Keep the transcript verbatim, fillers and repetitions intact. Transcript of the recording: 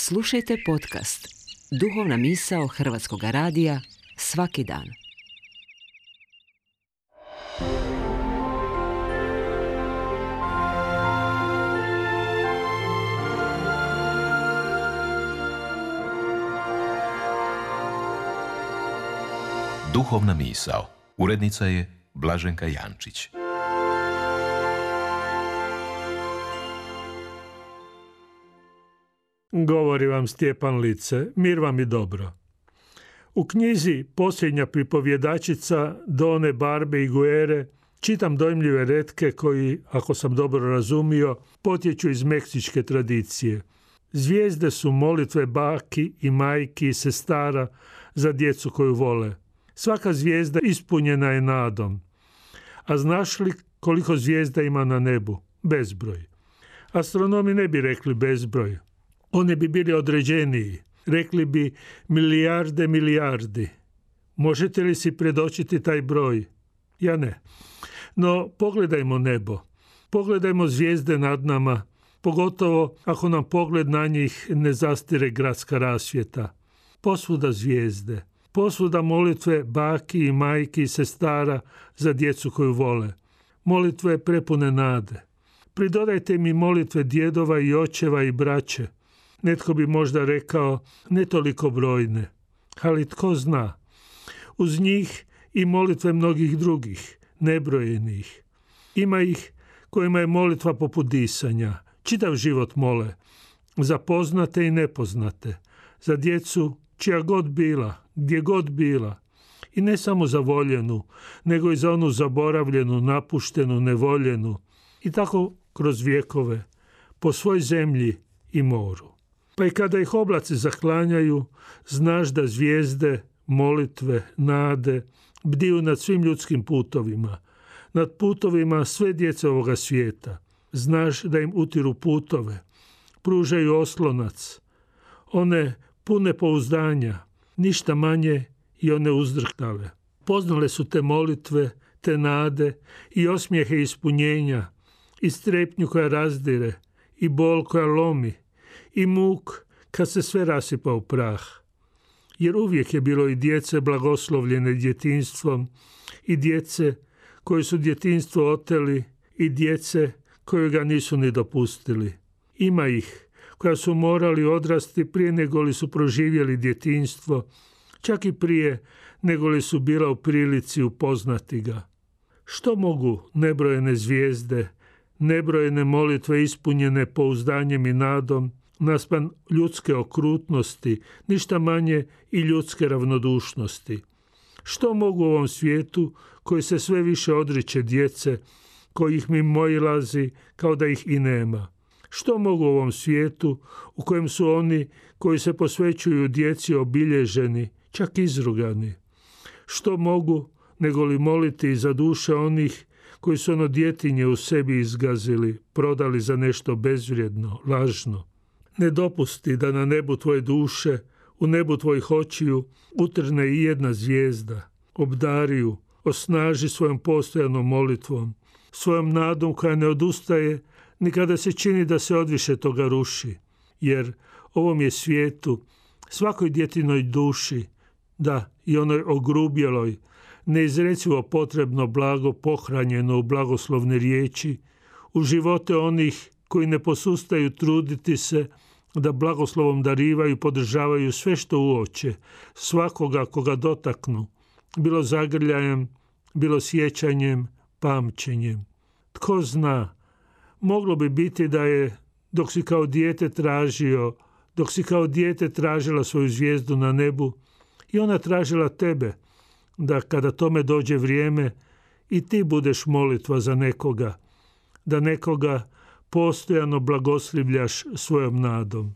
Slušajte podcast Duhovna misao Hrvatskog radija svaki dan. Duhovna misao. Urednica je Blaženka Jančić. Govori vam Stjepan Lice, mir vam i dobro. U knjizi Posljednja pripovjedačica Done Barbe i Guere čitam dojmljive retke koji, ako sam dobro razumio, potječu iz meksičke tradicije. Zvijezde su molitve baki i majki i sestara za djecu koju vole. Svaka zvijezda ispunjena je nadom. A znaš li koliko zvijezda ima na nebu? Bezbroj. Astronomi ne bi rekli bezbroj. Oni bi bili određeniji. Rekli bi milijarde milijardi. Možete li si predočiti taj broj? Ja ne. No, pogledajmo nebo. Pogledajmo zvijezde nad nama, pogotovo ako nam pogled na njih ne zastire gradska rasvjeta. Posvuda zvijezde. Posvuda molitve baki i majki i sestara za djecu koju vole. Molitve prepune nade. Pridodajte mi molitve djedova i očeva i braće. Netko bi možda rekao ne toliko brojne, ali tko zna. Uz njih i molitve mnogih drugih, nebrojenih. Ima ih kojima je molitva poput disanja. Čitav život mole. Za poznate i nepoznate. Za djecu čija god bila, gdje god bila. I ne samo za voljenu, nego i za onu zaboravljenu, napuštenu, nevoljenu. I tako kroz vjekove, po svoj zemlji i moru. Pa i kada ih oblaci zaklanjaju, znaš da zvijezde, molitve, nade bdiju nad svim ljudskim putovima, nad putovima sve djece ovoga svijeta. Znaš da im utiru putove, pružaju oslonac, one pune pouzdanja, ništa manje i one uzdrhtale. Poznale su te molitve, te nade i osmijehe ispunjenja, i strepnju koja razdire, i bol koja lomi, i muk kad se sve rasipa u prah. Jer uvijek je bilo i djece blagoslovljene djetinjstvom, i djece koji su djetinjstvo oteli, i djece koji ga nisu ni dopustili. Ima ih koja su morali odrasti prije nego li su proživjeli djetinjstvo, čak i prije nego li su bila u prilici upoznati ga. Što mogu nebrojene zvijezde, nebrojene molitve ispunjene pouzdanjem i nadom, naspram ljudske okrutnosti, ništa manje i ljudske ravnodušnosti? Što mogu u ovom svijetu koji se sve više odriče djece, kojih mimoilazi kao da ih i nema? Što mogu u ovom svijetu u kojem su oni koji se posvećuju djeci obilježeni, čak izrugani? Što mogu nego li moliti za duše onih koji su ono djetinje u sebi izgazili, prodali za nešto bezvrijedno, lažno? Ne dopusti da na nebu tvoje duše, u nebu tvojih očiju, utrne i jedna zvijezda. Obdari ju, osnaži svojom postojanom molitvom, svojom nadom koja ne odustaje ni kada se čini da se odviše toga ruši. Jer ovom je svijetu, svakoj djetinoj duši, da i onoj ogrubjeloj, neizrecivo potrebno blago pohranjeno u blagoslovne riječi, u živote onih koji ne posustaju truditi se da blagoslovom darivaju i podržavaju sve što uoče, svakoga koga dotaknu, bilo zagrljajem, bilo sjećanjem, pamćenjem. Tko zna, moglo bi biti da je, dok si kao dijete tražio, dok si kao dijete tražila svoju zvijezdu na nebu, i ona tražila tebe, da kada tome dođe vrijeme i ti budeš molitva za nekoga, da nekoga postojano blagoslivljaš svojom nadom.